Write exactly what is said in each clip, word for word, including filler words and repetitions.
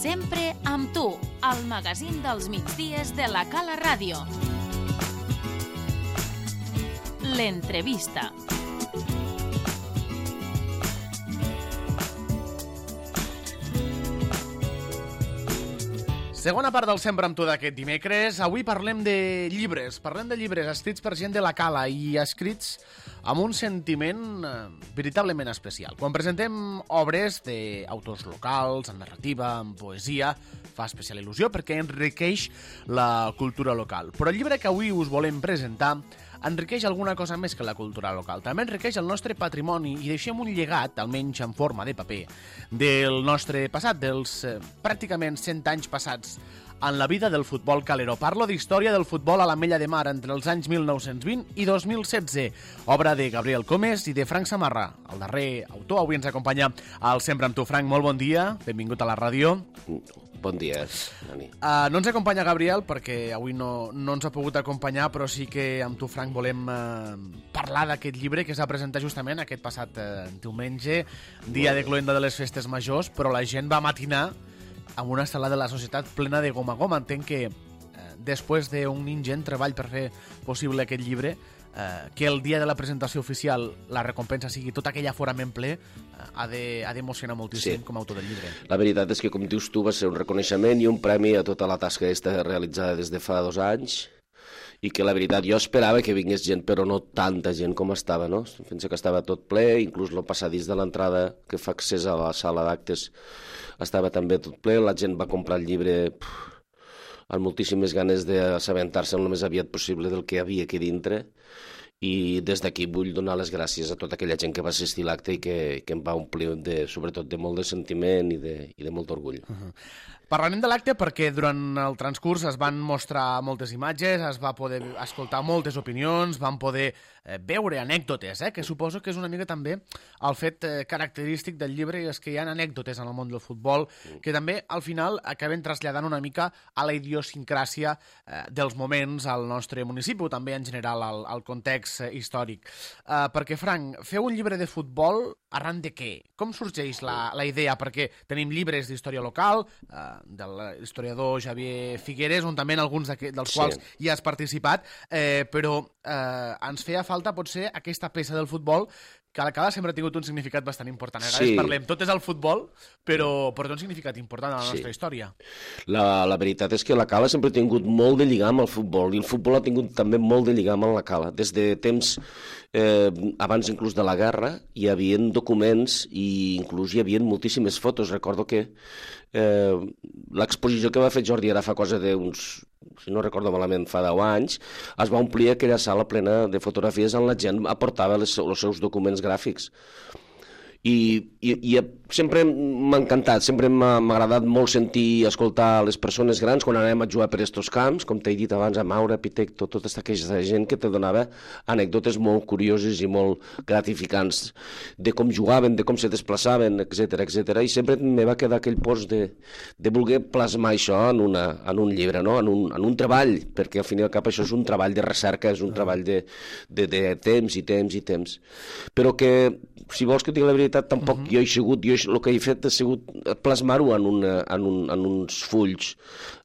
Sempre amb tu, al magazín dels migdies de la Cala Ràdio. L'entrevista. Segona part del Sempre amb tu d'aquest dimecres. Avui parlem de llibres. Parlem de llibres escrits per gent de la Cala i escrits amb un sentiment eh, veritablement especial. Quan presentem obres d'autors locals, en narrativa, en poesia, fa especial il·lusió perquè enriqueix la cultura local. Però el llibre que avui us volem presentar enriqueix alguna cosa més que la cultura local. També enriqueix el nostre patrimoni i deixem un llegat, almenys en forma de paper, del nostre passat, dels eh, pràcticament cent anys passats en la vida del futbol caleró. Parlo d'història del futbol a l'Ametlla de Mar entre els anys mil nou-cents vint i dos mil setze, obra de Gabriel Comes i de Frank Samarra, el darrer autor. Avui ens acompanya al Sempre amb tu, Frank. Molt bon dia, benvingut a la ràdio. Bon dia, Dani. Uh, no ens acompanya Gabriel perquè avui no, no ens ha pogut acompanyar, però sí que amb tu, Frank, volem uh, parlar d'aquest llibre que s'ha presentat justament aquest passat uh, diumenge, dia de cloenda de les festes majors, però la gent va matinar amb una sala de la societat plena de goma a goma. Entenc que eh, després d'un ingent treball per fer possible aquest llibre, eh, que el dia de la presentació oficial la recompensa sigui tot aquell aforament ple, eh, ha d'emocionar moltíssim, sí, com a autor del llibre. La veritat és que, com dius tu, va ser un reconeixement i un premi a tota la tasca aquesta realitzada des de fa dos anys, i que la veritat jo esperava que vingués gent, però no tanta gent com estava, no? Penso que estava tot ple, inclús el passadís de l'entrada que fa accés a la sala d'actes estava també tot ple, la gent va comprar el llibre pff, amb moltíssimes ganes d'assabentar-se el més aviat possible del que hi havia aquí dintre, i des d'aquí vull donar les gràcies a tota aquella gent que va assistir a l'acte i que, que em va omplir de, sobretot de molt de sentiment i de, i de molt orgull. Uh-huh. Parlarem de l'acte perquè durant el transcurs es van mostrar moltes imatges, es va poder escoltar moltes opinions, van poder eh, veure anècdotes, eh, que suposo que és una mica també el fet eh, característic del llibre, i és que hi ha anècdotes en el món del futbol que també al final acaben traslladant una mica a la idiosincràsia eh, dels moments al nostre municipi, o també en general al, al context eh, històric. Eh, perquè, Frank, feu un llibre de futbol arran de què? Com sorgeix la, la idea? Perquè tenim llibres d'història local, eh, de l'historiador Xavier Figueres, on també en alguns dels sí. quals hi has participat, eh, però eh, ens feia falta potser aquesta peça del futbol que a la Cala sempre ha tingut un significat bastant important. A vegades sí. parlem, tot és el futbol, però, però té un significat important a la nostra sí. història. La, la veritat és que la Cala sempre ha tingut molt de lligam al futbol, i el futbol ha tingut també molt de lligam amb la Cala. Des de temps, eh, abans inclús de la guerra, hi havia documents i inclús hi havia moltíssimes fotos. Recordo que eh, l'exposició que va fer Jordi ara fa cosa d'uns, si no recordo malament, fa deu anys, es va omplir aquella sala plena de fotografies on la gent aportava les, els seus documents gràfics. I, i, i sempre m'ha encantat, sempre m'ha agradat molt sentir, escoltar les persones grans quan anem a jugar per estos camps, com t'he dit abans, a Maura, Pitecto, tota aquesta gent que te donava anècdotes molt curioses i molt gratificants de com jugaven, de com se desplaçaven, etcètera, etcètera. I sempre me va quedar aquell post de, de voler plasmar això en, una, en un llibre, no? en, un, en un treball, perquè al final i al cap això és un treball de recerca, és un treball de, de, de temps i temps i temps. Però que, si vols que et digui la veritat, tampoc uh-huh. jo he sigut, jo el que he fet ha sigut plasmar-ho en, una, en, un, en uns fulls.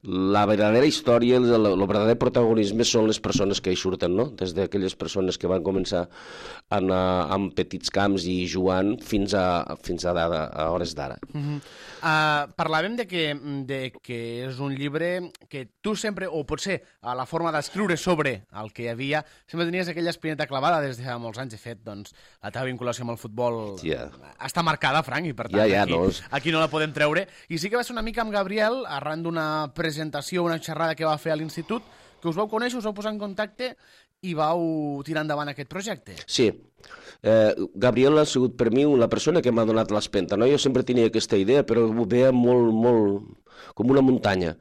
La verdadera història, el, el verdader protagonisme són les persones que hi surten, no? Des d'aquelles persones que van començar a anar amb petits camps i jugant fins a, fins a, a, a hores d'ara. Uh-huh. uh, parlàvem de que, de que és un llibre que tu sempre, o potser a la forma d'escriure sobre el que hi havia, sempre tenies aquella espineta clavada des de fa molts anys. De fet, doncs, la teva vinculació amb el futbol yeah. està marcada, Frank, i per tant yeah, yeah, aquí, no. aquí no la podem treure. I sí que va ser una mica amb Gabriel, arran d'una presentació, una xerrada que va fer a l'institut, que us vau conèixer, us vau posar en contacte i vau tirar endavant aquest projecte. Sí. Eh, Gabriel ha sigut per mi la persona que m'ha donat l'espenta, no? Jo sempre tenia aquesta idea, però ho veia molt, molt com una muntanya.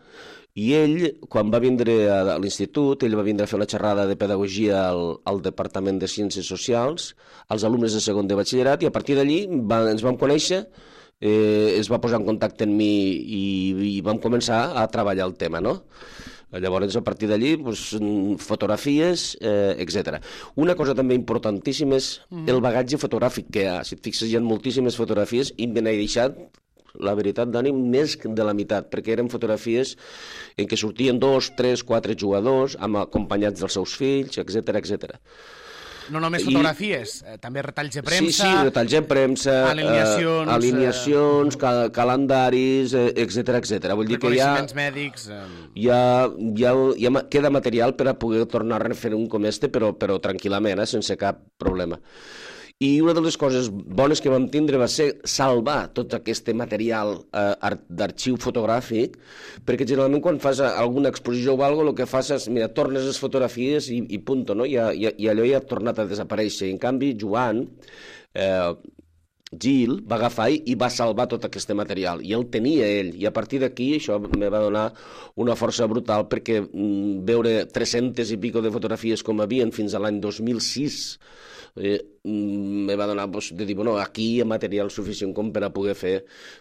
I ell, quan va vindre a l'institut, ell va vindre a fer una xerrada de pedagogia al, al Departament de Ciències Socials, als alumnes de segon de batxillerat, i a partir d'allí va, ens vam conèixer, eh, es va posar en contacte amb mi i, i vam començar a treballar el tema, no? Llavors, a partir d'allí, doncs, fotografies, eh, etcètera. Una cosa també importantíssima és mm. el bagatge fotogràfic que hi ha. Si et fixes, hi ha moltíssimes fotografies i me n'he deixat la veritat, Dani, més de la meitat, perquè eren fotografies en què sortien dos, tres, quatre jugadors, amb acompanyats dels seus fills, etcètera, etcètera. No només fotografies, I... eh, també retalls de premsa... Sí, sí, retalls de premsa, alineacions, eh, alineacions eh... cal calendaris, etcètera, etcètera. Vull dir que hi ha... mèdics... Eh... Hi ha, hi ha, hi ha, queda material per a poder tornar a refer un com este, però, però tranquil·lament, eh, sense cap problema. I una de les coses bones que vam tindre va ser salvar tot aquest material eh, d'arxiu fotogràfic, perquè generalment quan fas alguna exposició o alguna cosa, el que fas és, mira, tornes les fotografies i, i punto, no? I, i, i allò ja ha tornat a desaparèixer. I en canvi, Joan, eh, Gil, va agafar i va salvar tot aquest material, i el tenia ell, i a partir d'aquí això me va donar una força brutal, perquè mm, veure tres-centes i pico de fotografies com havien fins a l'any dos mil sis, Eh, me va donar pues, de dir, bueno, aquí hi ha material suficient com per a poder fer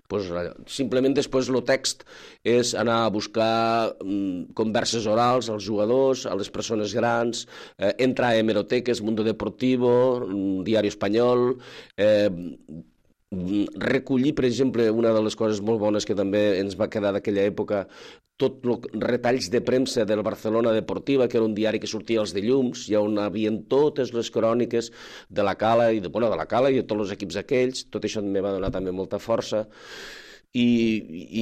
pues, simplement després el text és anar a buscar mm, converses orals als jugadors, a les persones grans, eh, entrar a hemeroteques, Mundo Deportivo, Diari Espanyol, eh, recollir, per exemple, una de les coses molt bones que també ens va quedar d'aquella època, tot els retalls de premsa del Barcelona Deportiva, que era un diari que sortia els dilluns, i on havien totes les cròniques de la Cala i de, bueno, de la Cala i de tots els equips aquells. Tot això me va donar també molta força. I,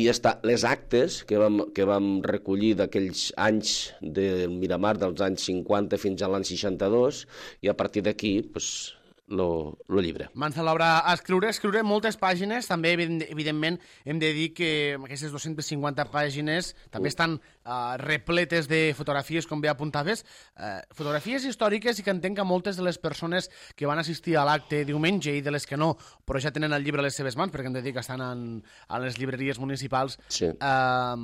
i ja està, les actes que vam, que vam recollir d'aquells anys del Miramar, dels anys cinquanta fins a l'any seixanta-dos, i a partir d'aquí, doncs, Lo, lo llibre. Mans a l'obra a escriure, escriure moltes pàgines, també evidentment hem de dir que aquestes dues-centes cinquanta pàgines també estan uh, repletes de fotografies, com bé apuntaves, uh, fotografies històriques, i que entenc que moltes de les persones que van assistir a l'acte diumenge i de les que no, però ja tenen el llibre a les seves mans, perquè hem de dir que estan en, a les llibreries municipals, sí. uh,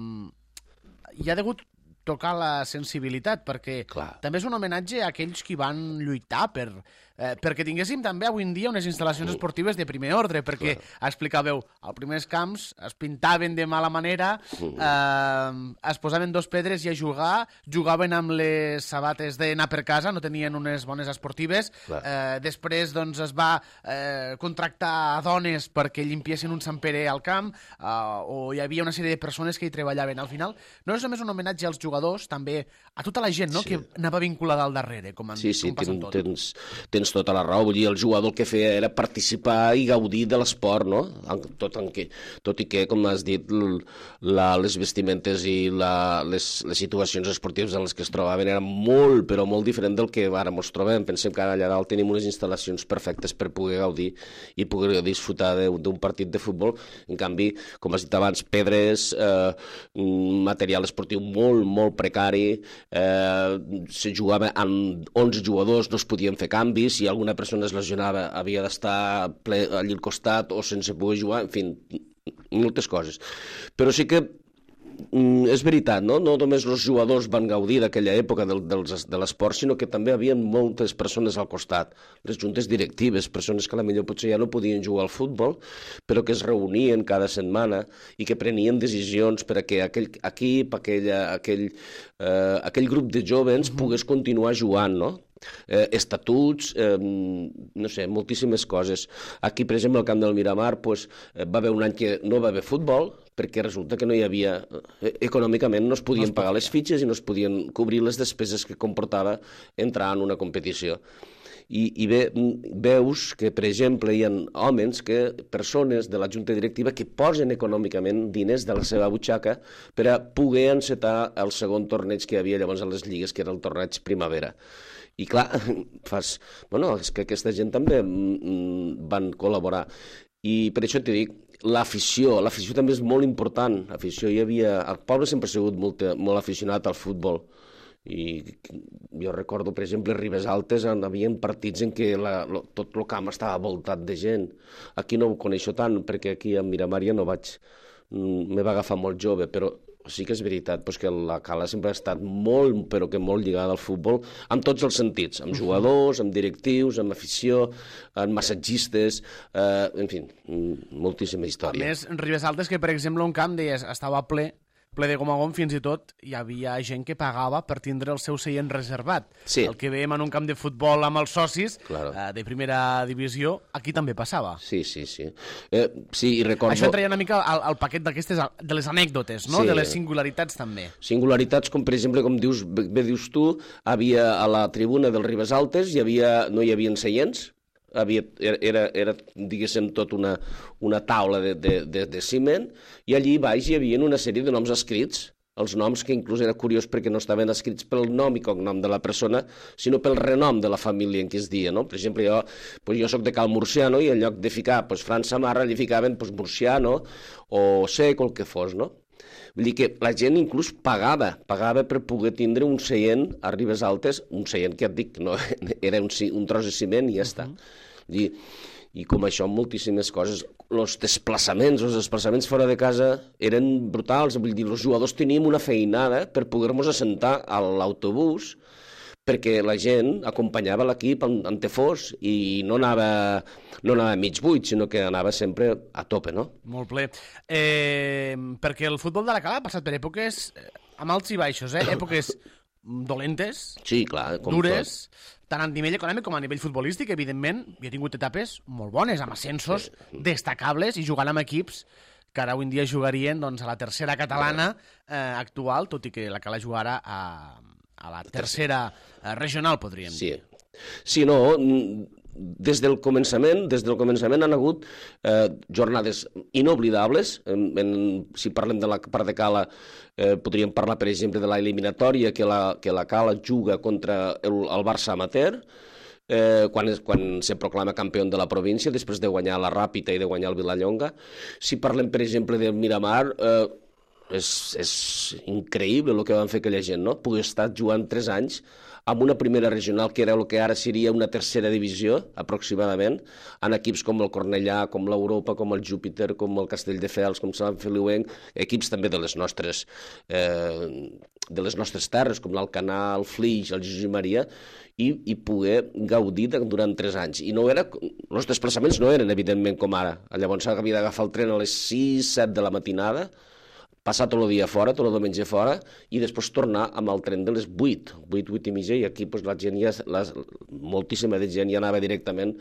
hi ha degut tocar la sensibilitat, perquè Clar. també és un homenatge a aquells qui van lluitar per, eh, perquè tinguéssim també avui en dia unes instal·lacions mm. esportives de primer ordre, perquè, Clar. explicàveu, als primers camps es pintaven de mala manera, mm. eh, es posaven dos pedres i a jugar, jugaven amb les sabates d'anar per casa, no tenien unes bones esportives, eh, després doncs, es va eh, contractar a dones perquè llimpiessin un Sant Pere al camp, eh, o hi havia una sèrie de persones que hi treballaven. Al final, no és només un homenatge als jugadors, també a tota la gent, no?, sí. que anava vinculada al darrere, com, en, sí, sí, com passa ten, tot. Tens, tens tota la raó. Vull dir, el jugador el que feia era participar i gaudir de l'esport, no? Tot, en que, tot i que, com has dit, la, les vestimentes i la, les, les situacions esportives en les que es trobaven eren molt, però molt diferent del que ara ens trobem. Pensem que ara allà dalt tenim unes instal·lacions perfectes per poder gaudir i poder disfrutar d'un partit de futbol. En canvi, com has dit abans, pedres, eh, material esportiu molt, molt precari, eh, se jugava amb onze jugadors, no es podien fer canvis, si alguna persona es lesionava havia d'estar allà al costat o sense poder jugar, en fi, moltes coses. Però sí que mm, és veritat, no? No només els jugadors van gaudir d'aquella època del, dels, de l'esport, sinó que també hi havia moltes persones al costat, les juntes directives, persones que a la millor potser ja no podien jugar al futbol, però que es reunien cada setmana i que prenien decisions per a que aquell equip, aquella, aquell, eh, aquell grup de jovens mm-hmm. pogués continuar jugant, no? Eh, estatuts, eh, no sé, moltíssimes coses. Aquí, per exemple, al camp del Miramar, pues, eh, va haver un any que no va haver futbol, perquè resulta que no hi havia... Eh, econòmicament no es podien no es pagar les fitxes i no es podien cobrir les despeses que comportava entrar en una competició. I, i ve, veus que, per exemple, hi ha homes, que, persones de la junta directiva que posen econòmicament diners de la seva butxaca per a poder encetar el segon torneig que hi havia llavors a les lligues, que era el torneig Primavera. I clar, fas... Bueno, és que aquesta gent també mm, van col·laborar. I per això t'he dit, l'afició, l'afició també és molt important. L'afició, hi havia... El poble sempre ha sigut molt, molt aficionat al futbol. I jo recordo, per exemple, Ribes Altes, hi havia partits en què la, lo, tot el camp estava voltat de gent. Aquí no ho coneixo tant, perquè aquí a Miramar ja no vaig... Me va agafar molt jove, però sí que és veritat pues, que la Cala sempre ha estat molt, però que molt lligada al futbol, amb tots els sentits, amb jugadors, amb directius, amb afició, amb massatgistes, eh, en fi, moltíssima història. A més, Ribes Altes, que per exemple un camp deies, estava ple, ple de gom a gom, fins i tot hi havia gent que pagava per tindre el seu seient reservat. Sí. El que veiem en un camp de futbol amb els socis Claro. eh, de primera divisió, aquí també passava. Sí, sí, sí. Eh, sí, i recordo... Això entraria una mica al, al paquet d'aquestes, de les anècdotes, no? Sí. De les singularitats també. Singularitats com, per exemple, com dius, bé dius tu, havia a la tribuna dels Ribes Altes, hi havia, no hi havia seients, havia, era, era, diguéssim, tot una, una taula de, de, de, de ciment, i allí baix hi havia una sèrie de noms escrits, els noms que inclús era curiós perquè no estaven escrits pel nom i cognom de la persona, sinó pel renom de la família en què es dia, no? Per exemple, jo, pues jo soc de Cal Murciano i en lloc de ficar pues, Fran Samarra li ficaven pues, Murciano o Sec o el que fos, no? Vull dir que la gent inclús pagava, pagava per poder tindre un seient a Ribes Altes, un seient que et dic, no, era un, un tros de ciment i ja està. Vull dir, i com això, moltíssimes coses. Els desplaçaments, els desplaçaments fora de casa eren brutals. Vull dir, els jugadors teníem una feinada per poder-nos assentar a l'autobús perquè la gent acompanyava l'equip en, en té fos i no anava, no anava mig buit, sinó que anava sempre a tope, no? Molt ple. Eh, perquè el futbol de la Cala ha passat per èpoques eh, amb alts i baixos, eh? Èpoques dolentes, Sí, clar. Com dures, tot. tant a nivell econòmic com a nivell futbolístic, evidentment, hi ha tingut etapes molt bones, amb ascensos destacables i jugant amb equips que ara avui en dia jugarien doncs, a la tercera catalana eh, actual, tot i que la Cala jugara a, a la tercera eh, regional, podríem dir. Sí. Sí, no, des del començament, des del començament han hagut eh, jornades inoblidables. En, en, si parlem de la part de Cala, eh, podríem parlar, per exemple, de l'eliminatòria que la, que la Cala juga contra el, el Barça amateur, eh, quan, es, quan se proclama campió de la província, després de guanyar la Ràpita i de guanyar el Vilallonga. Si parlem, per exemple, del Miramar, eh, és, és increïble el que van fer aquella gent, no? Poder estar jugant tres anys amb una primera regional que era el que ara seria una tercera divisió, aproximadament, en equips com el Cornellà, com l'Europa, com el Júpiter, com el Castelldefels, com Sant Feliuenc, equips també de les nostres, eh, de les nostres terres, com l'Alcanar, el Flix, el Jesús i Maria, i, i poder gaudir de, durant tres anys. I no era, els desplaçaments no eren, evidentment, com ara. Llavors havia d'agafar el tren a les sis, set de la matinada, passar tot el dia fora, tot el diumenge fora, i després tornar amb el tren de les vuit, vuit, vuit i mitja, i aquí pues, la gent ja, la, moltíssima de gent ja anava directament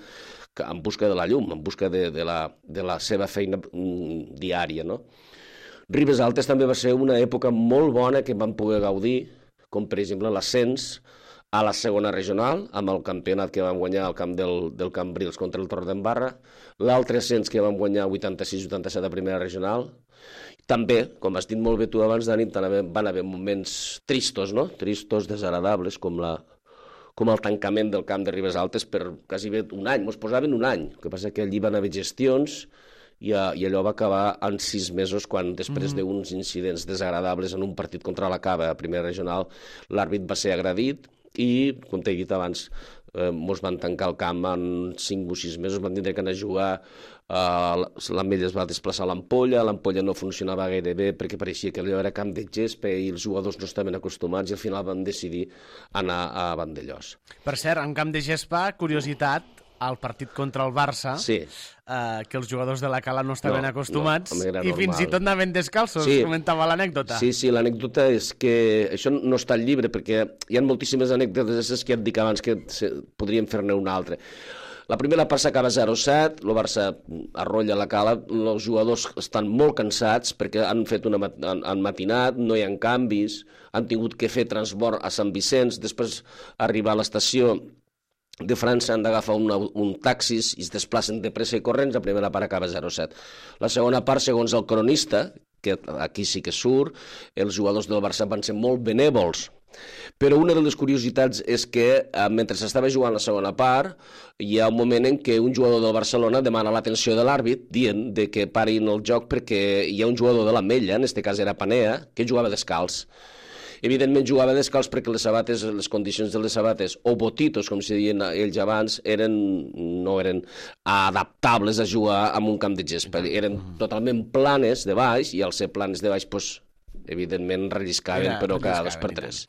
en busca de la llum, en busca de, de, la, de la seva feina mm, diària, no? Ribes Altes també va ser una època molt bona que vam poder gaudir, com per exemple l'ascens a la segona regional, amb el campionat que vam guanyar al camp del, del Cambrils contra el Torredembarra, l'altre ascens que vam guanyar vuitanta-sis vuitanta-set a primera regional. També, com has dit molt bé tu abans, Dani, van haver moments tristos, no? Tristos, desagradables, com, la, com el tancament del camp de Ribes Altes per quasi bé un any. Ens posaven un any. El que passa que allí van haver gestions i, i allò va acabar en sis mesos quan, després mm. d'uns incidents desagradables en un partit contra la Cava a primera regional, l'àrbit va ser agredit i, com t'he dit abans, eh, mos van tancar el camp en cinc o sis mesos, van tindre que anar a jugar. Uh, l'Ametlla es va desplaçar a l'Ampolla, l'Ampolla no funcionava gaire bé perquè pareixia que allò era camp de gespa i els jugadors no estaven acostumats i al final van decidir anar a Vandellós. Per cert, en camp de gespa, curiositat, al partit contra el Barça, sí. uh, que els jugadors de la Cala no estaven no, acostumats no, i fins i tot anaven descalços, sí. comentava l'anècdota. Sí, sí, l'anècdota és que això no està al llibre perquè hi ha moltíssimes anècdotes que et dic abans que podríem fer-ne una altra. La primera part s'acaba zero set, el Barça arrolla la Cala, els jugadors estan molt cansats perquè han fet una mat han, han matinat, no hi ha canvis, han tingut que fer transport a Sant Vicenç, després arribar a l'estació de França han d'agafar un, un taxis i es desplacen de pressa i corrents, la primera part acaba zero set. La segona part, segons el cronista, que aquí sí que surt, els jugadors del Barça van ser molt benèvols. Però una de les curiositats és que eh, mentre s'estava jugant la segona part hi ha un moment en què un jugador del Barcelona demana l'atenció de l'àrbit dient de que parin el joc perquè hi ha un jugador de l'Ametlla, en aquest cas era Panea, que jugava descalç. Evidentment jugava descalç perquè les sabates, les condicions de les sabates, o botitos, com se deien ells abans, eren, no eren adaptables a jugar en un camp de gespa. Eren totalment planes de baix i al ser planes de baix, doncs, evidentment relliscaven, però cada dos per tres.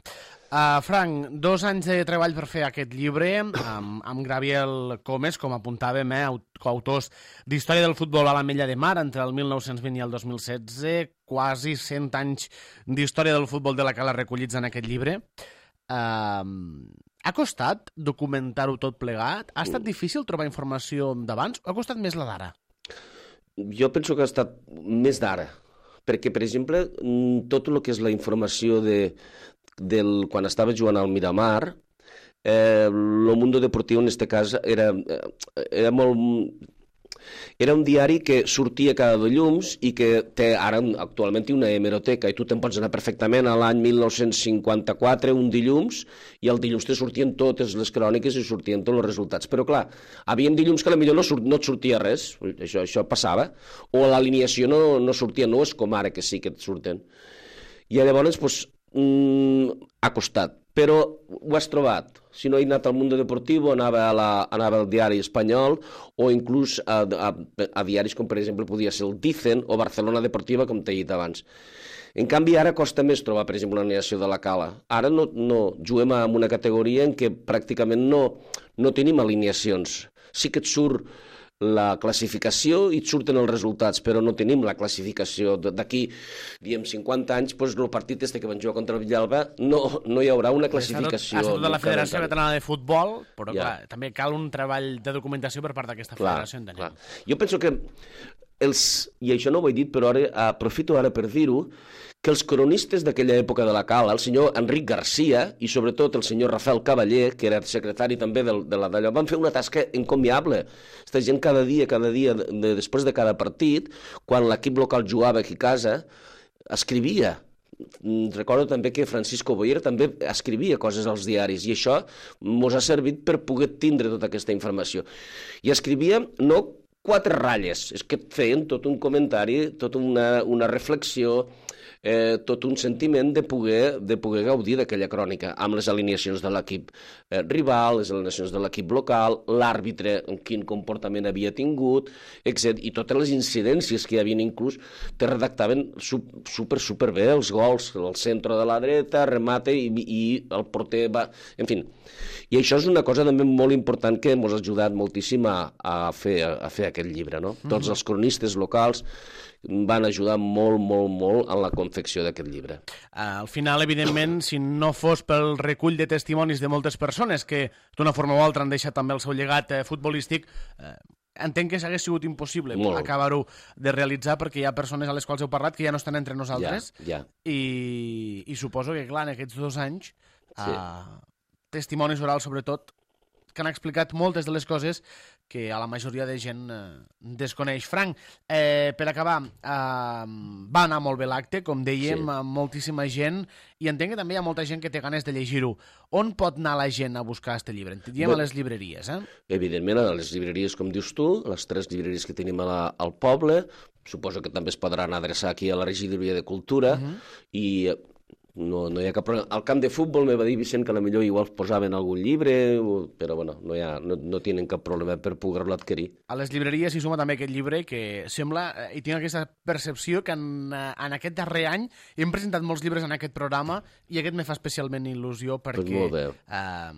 Uh, Frank, dos anys de treball per fer aquest llibre, amb, amb Gabriel Comes, com apuntàvem, eh, coautors d'Història del futbol a la Mella de Mar entre el mil nou-cents vint i el dos mil setze, quasi cent anys d'història del futbol de la Cala recollits en aquest llibre. Uh, ha costat documentar-ho tot plegat? Ha estat difícil trobar informació d'abans o ha costat més la d'ara? Jo penso que ha estat més d'ara, perquè, per exemple, tot el que és la informació de, del, quan estava jugant al Miramar, eh, el Mundo Deportivo en este cas era, era molt... Era un diari que sortia cada dilluns i que té ara actualment una hemeroteca i tu te'n pots anar perfectament a l'any mil nou-cents cinquanta-quatre, un dilluns, i el dilluns te sortien totes les cròniques i sortien tots els resultats. Però clar, havia dilluns que potser no, surt, no et sortia res, això, això passava, o l'alineació no, no sortia, no és com ara que sí que et surten. I llavors, doncs, mm, ha costat, però ho has trobat. Si no he anat al Mundo Deportivo, anava, a la, anava al diari espanyol o inclús a, a, a diaris com, per exemple, podia ser el Dicen o Barcelona Deportiva, com t'he dit abans. En canvi, ara costa més trobar, per exemple, l'alineació de la Cala. Ara no, no juguem en una categoria en què pràcticament no, no tenim alineacions. Sí que et surt la classificació i et surten els resultats, però no tenim la classificació. D'aquí, diem, cinquanta anys, doncs el partit este que van jugar contra el Villalba no, no hi haurà una classificació. Ha estat de la Federació Catalana de Futbol, però ja. clar, també cal un treball de documentació per part d'aquesta federació, entenem. Clar. Jo penso que els, i això no ho he dit, però ara aprofito ara per dir-ho, que els cronistes d'aquella època de la Cala, el senyor Enric Garcia i sobretot el senyor Rafael Cavaller, que era secretari també de, de la d'allò, van fer una tasca encomiable. Aquesta gent cada dia, cada dia, de, després de cada partit, quan l'equip local jugava aquí a casa, escrivia. Recordo també que Francisco Boyer també escrivia coses als diaris i això ens ha servit per poder tindre tota aquesta informació. I escrivia no quatre ratlles, és que feien tot un comentari, tota una, una reflexió, eh, tot un sentiment de poder, de poder gaudir d'aquella crònica, amb les alineacions de l'equip eh, rival, les alineacions de l'equip local, l'àrbitre, quin comportament havia tingut, etcètera. I totes les incidències que hi havia inclús, te redactaven super, super bé, els gols, el centre de la dreta, remate i, i el porter va... En fi, i això és una cosa també molt important que ens ha ajudat moltíssim a, a, fer, a fer aquest llibre, no? Mm-hmm. Tots els cronistes locals van ajudar molt, molt, molt en la confecció d'aquest llibre. Al final, evidentment, si no fos pel recull de testimonis de moltes persones que d'una forma o altra han deixat també el seu llegat eh, futbolístic, eh, entenc que s'hagués sigut impossible acabar-ho de realitzar perquè hi ha persones a les quals heu parlat que ja no estan entre nosaltres ja, ja. I, i suposo que, clar, en aquests dos anys sí. eh, testimonis orals, sobretot, que han explicat moltes de les coses que a la majoria de gent eh, desconeix. Frank, eh, per acabar, eh, va anar molt bé l'acte, com dèiem, sí. amb moltíssima gent, i entenc que també hi ha molta gent que té ganes de llegir-ho. On pot anar la gent a buscar aquest llibre? Diem a les llibreries, eh? Evidentment, a les llibreries, com dius tu, les tres llibreries que tenim a la, al poble, suposo que també es podran adreçar aquí a la regidoria de Cultura, uh-huh. i... No, no hi ha cap problema. Al camp de futbol me va dir Vicent que potser igual posaven algun llibre, però bueno, no, hi ha, no, no tenen cap problema per poder-lo adquirir. A les llibreries hi suma també aquest llibre que sembla, i tinc aquesta percepció que en, en aquest darrer any hem presentat molts llibres en aquest programa i aquest me fa especialment il·lusió perquè eh,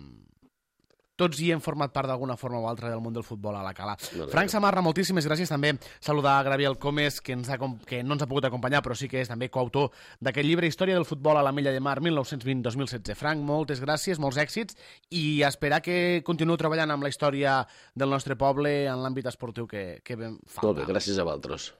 tots hi hem format part d'alguna forma o altra del món del futbol a la Cala. No, Frank Samarra, moltíssimes gràcies. També saludar a Gabriel Comes, que, ens ha, que no ens ha pogut acompanyar, però sí que és també coautor d'aquest llibre Història del futbol a la Mella de Mar mil nou-cents vint a dos mil setze. Frank, moltes gràcies, molts èxits, i esperar que continueu treballant amb la història del nostre poble en l'àmbit esportiu que, que ben falta. Molt bé, gràcies a vosaltres.